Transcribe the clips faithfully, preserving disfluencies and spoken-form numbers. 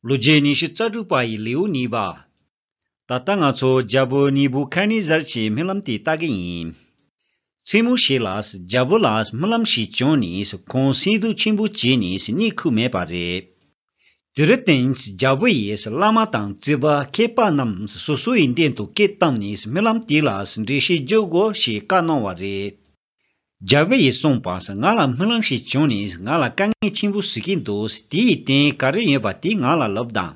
ལོ་རྒྱུས་ཉི་ཤུ་རྩ་དྲུག་པ་ཡི་ལེའུ་གཉིས་པ། ད་ལྟ་ང་ཚོ་རྒྱལ་པོ་ནི་བུ་ཁ་ནི་ཟར་གྱི་རྨི་ལམ་དེ་ལྟ་གི་ཡིན། མཚན་མོ་ཞིག་ལ་རྒྱལ་པོ་ལ་རྨི་ལམ་ཞིག་བྱུང་ནས་ཁོང་སེམས་སྡུག་ཆེན་པོ་བྱས་ནས་གཉིད་ཁུག་མེད་པ་རེད། དེར་བརྟེན་རྒྱལ་པོ་ཡིས་བླ་མ་དང་རྩིས་པ་མཁས་པ་རྣམས་སོ་སོ་ཡི་མདུན་དུ་སྐད་བཏང་ནས་རྨི་ལམ་དེ་ལ་འགྲེལ་བཤད་རྒྱག་དགོས་ཞེས་བཀའ་གནང་བ་རེད། རྒྱལ་པོ་ཡིས་གསུངས་པ། ང་ལ་རྨི་ལམ་ཞིག་བྱུང་ནས་ང་ལ་དཀའ་ངལ་ཆེན་པོ་བཟོ་གི་འདུག་དེའི་རྟེན་ག་རེ་ཡོད་པ་དེ་ང་ལ་ལབ་དང་།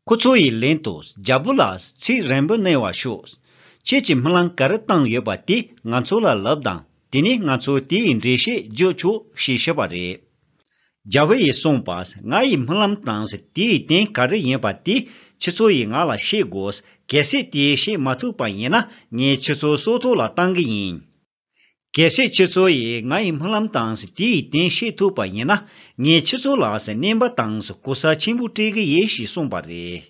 ཁོ་ཚོ་ཡིས་ལན་དུ། རྒྱལ་པོ་ལགས། ཚིག་རན་པོ་གནང་བར་ཤོག་ཁྱེད་ཀྱིས་རྨི་ལམ་ག་རེ་བཏང་ཡོད་པ་དེ་ང་ཚོ་ལ་ལབ་དང་། དེ་ནས་ང་ཚོ་དེའི་འགྲེལ་བཤད་རྒྱག་ཆོག་ཞེས་ཞུས་པ་རེད། རྒྱལ་པོ་ཡིས་གསུངས་པ། ང་ཡི་རྨི་ལམ་དང་དེའི་རྟེན་ག་རེ་ཡིན་པ་དེ་ཁྱེད་ཚོ་ཡིས་ང་ལ་བཤད་དགོས། གལ་སྲིད་དེ་བཤད་མ་ཐུབ་པ་ཡིན་ན་ངས་ཁྱེད་ཚོ་སྲོག་ཐོག་ལ་བཏང་གི་ཡིན། གལ་སྲིད་ཁྱེད་ཚོ་ཡིས་ང་ཡི་རྨི་ལམ་དང་དེའི་རྟེན་བཤད་ཐུབ་པ་ཡིན་ན་ངས་ཁྱེད་ཚོ་ལ་གནོན་པ་དང་གོ་ས་ཆེན་པོ་སྤྲད་གི་ཡིན་ཞེས་གསུངས་པ་རེད།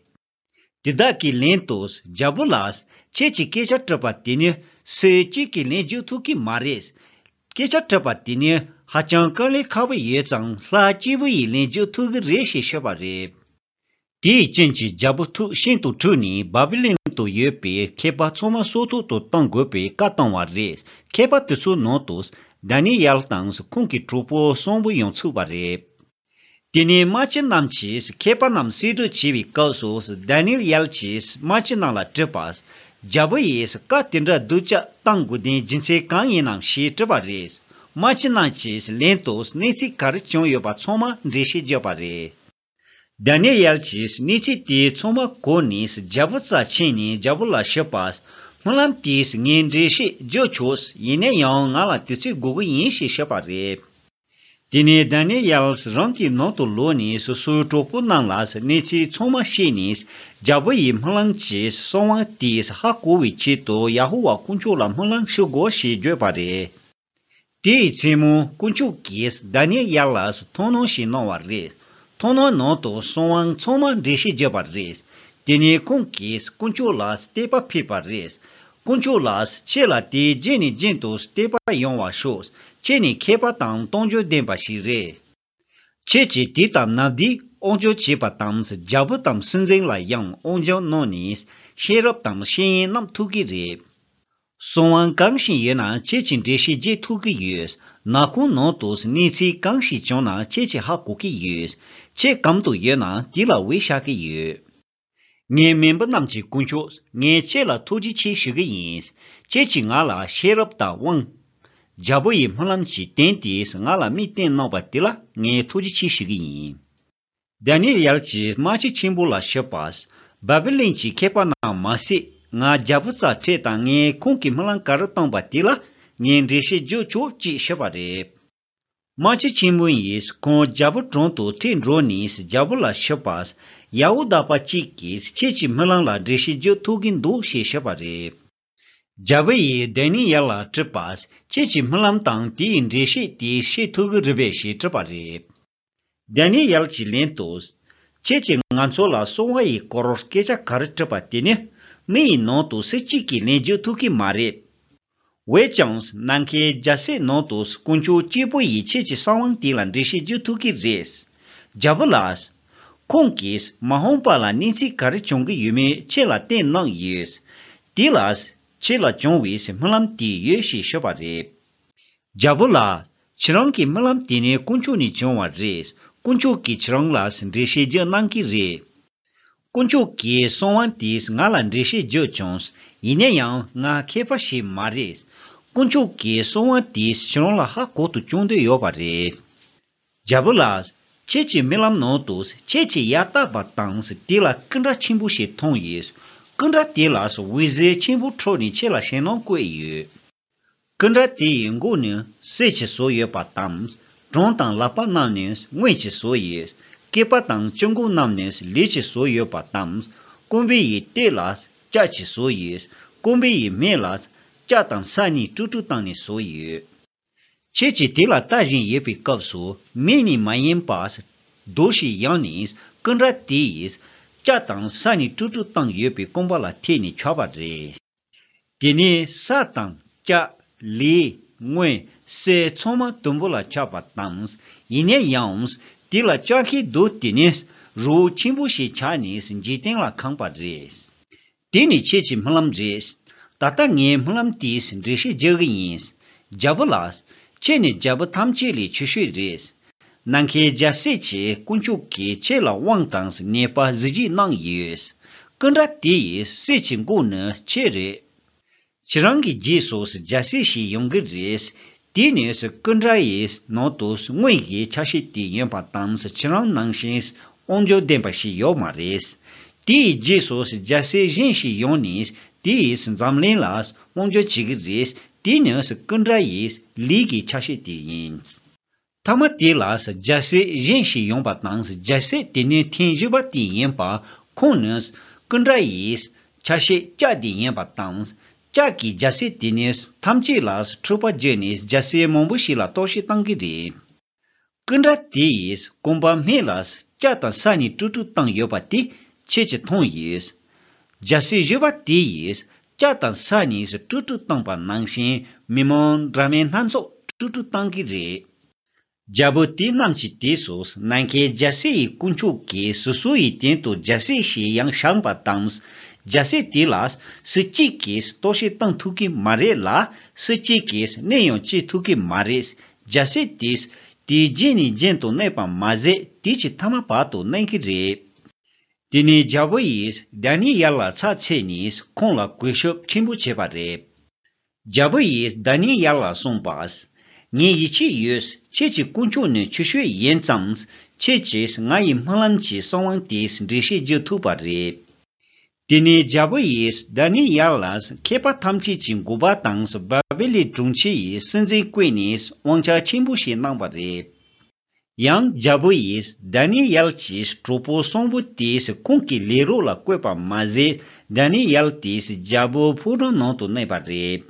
དེ་དག་གིས་ལན་དུ། རྒྱལ་པོ་ལགས། ཁྱེད་ཀྱིས་སྐད་ཆ་དྲིས་པ་དེ་ནི་སུ་གཅིག་གིས་ལན་རྒྱག་ཐུབ་ཀྱི་མ་རེད། སྐད་ཆ་དྲིས་པ་དེ་ནི་ཧ་ཅང་དཀའ་ལས་ཁག་པོ་ཡོད་ཙང་ལྷ་སྐྱེས་བུ་ཡིས་ལན་རྒྱག་ཐུབ་ཀྱི་རེད་ཞེས་ཤོད་པ་རེད། དེའི་རྐྱེན་གྱིས་རྒྱལ་པོ་ཐུགས་ཤིན་ཏུ་དྲག་ནས་བཱ་བི་ལོན་དུ་ཡོད་པའི་མཁས་པ་ཚང་མ་སྲོག་ཐོག་ཏུ་གཏོང་དགོས་པའི་བཀའ་བཏང་བ་རེད། མཁས་པ་དེ་ཚོའི་ནང་དུ་དཱ་ནི་ཡལ་དང་ཁོང་གི་གྲོགས་པོ་གསུམ་པོ་ཡང་ཚུད་པ་རེད། དེ་ནས་དམག་སྤྱི་རྣམས་ཀྱིས་མཁས་པ་རྣམས་གསེད་བཀྲོལ་བྱེད་པའི་སྐབས་སུ་དཱ་ནི་ཡལ་གྱིས་དམག་སྤྱི་རྣམས་ལ་དྲིས་པ། རྒྱལ་པོ་ཡིས་བཀའ་དེ་འདྲ་སྡུག་ཅག་བཏང་དགོས་དོན་རྒྱུ་མཚན་གང་ཡིན་ནམ་ཞེས་དྲིས་པ་རེད། དམག་སྤྱི་རྣམས་ཀྱིས་ལན་དུ་གནས་ཚུལ་ག་རེ་བྱུང་ཡོད་པ་ཚང་མ་འགྲེལ་བཤད་བརྒྱབ་པ་རེད། དཱ་ནི་ཡལ་གྱིས་གནས་ཚུལ་དེ་ཚང་མ་གོ་ནས་རྒྱལ་པོ་རྩར་ཕྱིན་ནས་རྒྱལ་པོ་ལ་ཞུས་པ། རྨི་ལམ་དེས་ངས་འགྲེལ་བཤད་བརྒྱབ་ཆོག་ཡིན་ན་ཡང་ང་ལ་དུས་ཚོད་དགོས་ཀྱི་ཡིན་ཞེས་ཞུས་པ་རེད། དེ་ནས་དཱ་ནི་ཡལ་རང་གི་ནང་དུ་ལོག་ནས་སོ་སོའི་གྲོགས་པོ་རྣམས་ལ་གནས་ཚུལ་ཚང་མ་བཤད་ནས་རྒྱལ་པོ་ཡི་རྨི་ལམ་གྱི་གསང་བ་དེ་ཧ་གོ་བའི་ཆེད་དུ་ཡ་ཧོ་ཝཱ་དཀོན་མཆོག་ལ་རྨི་ལམ་ཞུ་དགོས་ཞེས་བརྗོད་པ་རེད། དེའི་མཚན་མོ་དཀོན་མཆོག་གིས་དཱ་ནི་ཡལ་ལ་མཐོང་སྣང་ཞིག་གནང་བ་རེད། མཐོང་སྣང་ནང་དུ་གསང་བ་ཚང་མ་འགྲེལ་བཤད་བརྒྱབ་པ་རེད། དེ་ནས་ཁོང་གིས་དཀོན་མཆོག་ལ་བསྟོད་པ་ཕུལ་བ་རེད། དཀོན་མཆོག་ལགས། ཁྱེད་ལ་དེ་རྒྱུན་ནས་རྒྱུན་དུ་བསྟོད་པ་ཡོང་བར་ཤོག་ཁྱེད་ནི་མཁས་པ་དང་རྟོགས་བརྗོད་ལྡན་པ་ཞིག་རེད། ཁྱེད་ཀྱིས་དུས་དང་ནམ་དུས་དབང་སྒྱུར་བྱེད་པ་དང་རྒྱལ་པོ་དང་སྲིད་འཛིན་ལ་ཡང་དབང་སྒྱུར་གནང་ནས་ཤེས་རབ་དང་ཤེས་ཡོན་རྣམས་ཐོབ་ཀྱི་རེད། གསང་བ་གང་ཞིག་ཡོད་ན་ཁྱེད་ཀྱིས་འགྲེལ་བཤད་བརྒྱབ་ཐུབ་ཀྱི་ཡོད། ནག་ཁུང་ནང་དུ་གནས་ཚུལ་གང་ཞིག་བྱུང་ན་ཁྱེད་ཀྱིས་ཧ་གོ་གི་ཡོད། ཁྱེད་གམ་དུ་ཡོད་ན་དེ་ལ་འོད་ཤར་གྱི་ཡོད། ངའི་མེས་པོ་རྣམས་ཀྱི་དཀོན་མཆོག་ངས་ཁྱེད་ལ་ཐུགས་རྗེ་ཆེ་ཞུ་གི་ཡིན། ཁྱེད་ཀྱིས་ང་ལ་ཤེས་རབ་དང་དབང་། རྒྱལ་པོ་ཡི་རྨི་ལམ་གྱི་དོན་དེས་ང་ལ་མིག་བསྟན་གནང་བ་དེ་ལ་ངས་ཐུགས་རྗེ་ཆེ་ཞུ་གི་ཡིན། དཱ་ནི་ཡལ་གྱིས་དམག་སྤྱི་ཆེན་པོ་ལ་ཞུས་པ། བཱ་བི་ལོན་གྱི་མཁས་པ་རྣམས་མ་ཟད་ང་རྒྱལ་པོ་རྩར་ཁྲིད་དང་ངས་ཁོང་གི་རྨི་ལམ་ག་རེ་བཏང་པ་དེ་ལ་ངས་འགྲེལ་བཤད་རྒྱག་ཆོག་ཅེས་ཞུས་པ་རེད། དམག་སྤྱི་ཆེན་པོ་ཡིས་ཁོང་རྒྱལ་པོ་དྲུང་དུ་ཁྲིད་འགྲོ་ནས་རྒྱལ་པོ་ལ་ཞུས་པ། ཡ་ཧོ་དག་པ་གཅིག་གིས་ཁྱེད་ཀྱི་རྨི་ལམ་ལ་འགྲེལ་བཤད་རྒྱག་ཐུབ་ཀྱི་འདུག་ཞེས་ཞུས་པ་རེད། རྒྱལ་པོ་ཡིས་དཱ་ནི་ཡལ་ལ་དྲིས་པ། ཁྱེད་ཀྱི་རྨི་ལམ་དང་དེའི་འགྲེལ་བཤད་དེ་ཤེས་ཐུབ་ཀྱི་རེད་པས་ཞེས་དྲིས་པ་རེད། དཱ་ནི་ཡལ་གྱིས་ལན་དུ། ཁྱེད་ཀྱིས་ང་ཚོ་ལ་གསང་བ་ཡི་སྐོར་སྐད་ཆ་ག་རེ་དྲིས་པ་དེ་ནི་མི་ཡི་ནང་དུ་སུ་གཅིག་གིས་ལན་རྒྱག་ཐུབ་ཀྱི་མ་རེད། འོན་ཀྱང་ནམ་མཁའི་རྒྱལ་སྲིད་ནང་དུ་དཀོན་མཆོག་གཅིག་པུ་ཡིས་ཁྱེད་ཀྱི་གསང་བ་དེ་ལ་འགྲེལ་བཤད་རྒྱག་ཐུབ་ཀྱི་རེད། རྒྱལ་པོ་ལགས། ཁོང་གིས་མ་འོངས་པ་ལ་གནས་ཚུལ་ག་རེ་བྱུང་གི་ཡོད་མེད་ཁྱེད་ལ་བསྟན་གནང་ཡོད། དེ་ལ་ཁྱེད་ལ་བྱུང་བའི་རྨི་ལམ་དེ་ཡོད་ཞེས་ཞུས་པ་རེད། རྒྱལ་པོ་ལགས། ཁྱེད་རང་གི་རྨི་ལམ་དེ་ནི་དཀོན་མཆོག་ནས་བྱུང་བ་རེད། དཀོན་མཆོག་གིས་ཁྱེད་རང་ལ་འགྲེལ་བཤད་རྒྱག་གནང་གི་རེད། དཀོན་མཆོག་གིས་གསང་བ་དེས་ང་ལ་འགྲེལ་བཤད་བརྒྱབ་བྱུང་། ཡིན་ན་ཡང་ང་མཁས་པ་ཞིག་མ་རེད། དཀོན་མཆོག་གིས་གསང་བ་དེས་ཁྱེད་རང་ལ་ཧ་གོ་དུ་བཅུག་འདོད་ཡོད་པ་རེད། རྒྱལ་པོ་ལགས། ཁྱེད་ཀྱི་རྨི་ལམ་ནང་དུ་ཁྱེད་ཀྱིས་ཡར་བལྟས་པ་དང་དེ་ལ་སྐུ་འདྲ་ཆེན་པོ་ཞིག་མཐོང་ཡོད། སྐུ་འདྲ་དེ་ལ་འོད་ཟེར་ཆེན་པོ་འཕྲོས་ནས་ཁྱེད་ལ་ཞེད་སྣང་བཀོད་ཡོད། སྐུ་འདྲ་དེ་ཡི་མགོ་ནི་གསེར་གྱིས་བཟོས་ཡོད་པ་དང་། བྲང་དང་ལག་པ་རྣམས་ནི་དངུལ་གྱིས་བཟོས་ཡོད། སྐེད་པ་དང་ལྕེ་མགོ་རྣམས་ནི་ལུས་ཀྱིས་བཟོས་ཡོད་པ་དང་། རྐང་པའི་ཡི་སྟོད་ལ་ལྕགས་ཀྱིས་བཟོས་ཡོད། རྐང་པའི་ཡི་སྨད་ལ་ལྕགས་དང་ས་ནས་དཀྲུག་དཀྲུག་བཏང་ནས་བཟོས་ཡོད། ཁྱེད་ཀྱིས་དེ་ལ་ལྟ་བཞིན་ཡོད་པའི་སྐབས་སུ་མི་ནི་མ་ཡིན་པ་རྡོ་ཞིག་ཡང་ནས་སྐུ་འདྲ་དེ་ཡིས་ལྕགས་དང་ས་ནས་དཀྲུག་དཀྲུག་བཏང་ཡོད་པའི་རྐང་པ་ལ་ཐེབས་ནས་ཆགས་པ་རེད། དེ་ནས་ས་དང་ལྕགས། ལུས། དངུལ། གསེར་ཚང་མ་དུམ་བུ་ལ་ཆགས་པ་དང་། ཡིན་ན་ཡང་། དེ་ལ་ལྕགས་ཁའི་རྡོ་དེ་ནི་ རི་བོ་ཆེན་པོ་ཞིག་ཆགས་ནས་འཇིག་རྟེན་ལ་གང་པ་རེད། དེ་ནི་ཁྱེད་ཀྱི་སྨོན་ལམ་རེད། ད་ལྟ་ངས་སྨོན་ལམ་དེའི་འགྲེལ་བཤད་རྒྱག་གི་ཡིན། རྒྱལ་པོ་ལགས། ཁྱེད་ནི་རྒྱལ་པོ་ཐམས་ཅད་ལས་ཆེ་ཤོས་རེད། ནམ་མཁའི་རྒྱལ་སྲས་ཀྱི་དཀོན་མཆོག་གིས་ཁྱེད་ལ་དབང་དང་ནུས་པ་གཟི་བརྗིད་གནང་ཡོད། སྐུ་འདྲ་དེ་ཡི་སྲས་ཀྱི་མགོ་ནི་ཁྱེད་རེད། ཁྱེད་རང་གི་རྗེས་སུ་རྒྱལ་སྲས་ཤིག་ཡོང་གི་རེད། དེ་ནི་སྐུ་འདྲ་ཡི་ནང་དུ་དངོས་ཀྱི་ཆ་ཤས་དེ་ཡིན་པ་དང་ཁྱེད་རང་ནང་བཞིན་དབང་སྒྱུར་ལྡན་པ་ཞིག་ཡོད་མ་རེད། དེའི་རྗེས་སུ་རྒྱལ་སྲས་གཞན་ཞིག་ཡོང་ནས་དེ་ཡིས་འཛམ་གླིང་ལ་དབང་སྒྱུར་བྱེད་ཀྱི་རེད། དེ་ནི་སྐུ་འདྲ་ཡི་ལས་ཀྱི་ཆ་ཤས་དེ་ཡིན། མཐའ་མ་དེ་ལ་རྒྱལ་སྲས་གཞན་ཞིག་ཡོང་པ་དང་རྒྱལ་སྲས་དེ་ནི་ཐེངས་བཞི་པ་དེ་ཡིན་པ། ཁོང་ནི་སྐུ་འདྲ་ཡི་ཆ་ཤས་ལྕགས་དེ་ཡིན་པ་དང་། ལྕགས་ཀྱི་རྒྱལ་སྲས་དེ་ནི་ཐམས་ཅད་ལ་འཁྲུག་པ་བརྒྱབ་ནས་རྒྱལ་སྲས་མང་པོ་ཞིག་ལ་གཏོར་བཤིག་བཏང་གི་རེད། སྐུ་འདྲ་དེ་ཡིས་གོམ་པ་སྨད་ལ་ལྕགས་དང་ས་གཉིས་དཀྲུག་དཀྲུག་བཏང་ཡོད་པ་དེ་ཁྱེད་ཀྱིས་མཐོང་ཡོད། རྒྱལ་སྲས་བཞི་པ་དེ་ཡིས་ལྕགས་དང་ས་གཉིས་དཀྲུག་དཀྲུག་བཏང་པ་ནང་བཞིན་མི་མང་འདྲ་མིན་སྣ་ཚོགས་དཀྲུག་དཀྲུག་བཏང་གི་རེད། རྒྱལ་པོ་དེ་རྣམས་ཀྱི་དུས་སུ་ནམ་མཁའི་རྒྱལ་སྲས་ཡི་དཀོན་མཆོག་གིས་སོ་སོ་ཡི་སྟེང་དུ་རྒྱལ་སྲས་ཤིག་ཡང་བཞེངས་པ་དང་། རྒྱལ་སྲས་དེ་ལ་སུ་གཅིག་གིས་གཏོར་བཤིག་བཏང་ཐུབ་ཀྱི་མ་རེད་ལ། སུ་གཅིག་གིས་གནས་ཡང་བཅས་ཐུབ་ཀྱི་མ་རེད། རྒྱལ་སྲས་དེས་དེའི་རྗེས་ནས་རྒྱུན་དུ་གནས་པ་མ་ཟད་དེ་ཀྱི་ཐ་མ་བར་དུ་གནས་ཀྱི་རེད། དེ་ནས་རྒྱལ་པོ་ཡིས་དཱ་ནི་ཡལ་ལ་ཕྱག་འཚལ་ནས་ཁོང་ལ་གུས་ཞབས་ཆེན་པོ་བྱས་པ་རེད། རྒྱལ་པོ་ཡིས་དཱ་ནི་ཡལ་ལ་གསུངས་པ། ངས་ཡིད་ཆེས་ཡོད། ཁྱེད་ཀྱི་དཀོན་མཆོག་ནི་ཆེ་ཤོས་ཡིན་ཙང་། ཁྱེད་ཀྱིས་ང་ཡི་སྨོན་ལམ་གྱི་གསོལ་དབང་དེའི་འགྲེལ་བཤད་བརྗོད་ཐུབ་པ་རེད། དེ་ནས་རྒྱལ་པོ་ཡིས་དཱ་ནི་ཡལ་ལ་མཁས་པ་ཐམས་ཅད་ཀྱི་འགོ་པ་དང་། བ་བེ་ལི་དྲུང་ཆེ་ཡི་སྲིད་འཛིན་བསྐོས་ནས་དབང་ཆ་ཆེན་པོ་ཞིག་གནང་བ་རེད། ཡང་རྒྱལ་པོ་ཡིས་དཱ་ནི་ཡལ་གྱི་གྲོགས་པོ་གསུམ་པོ་དེས་ཁོང་གི་ལས་རོགས་ལ་བསྐོས་པ་མ་ཟད། དཱ་ནི་ཡལ་དེས་རྒྱལ་པོའི་ཕོ་བྲང་ནང་དུ་གནས་པ་རེད།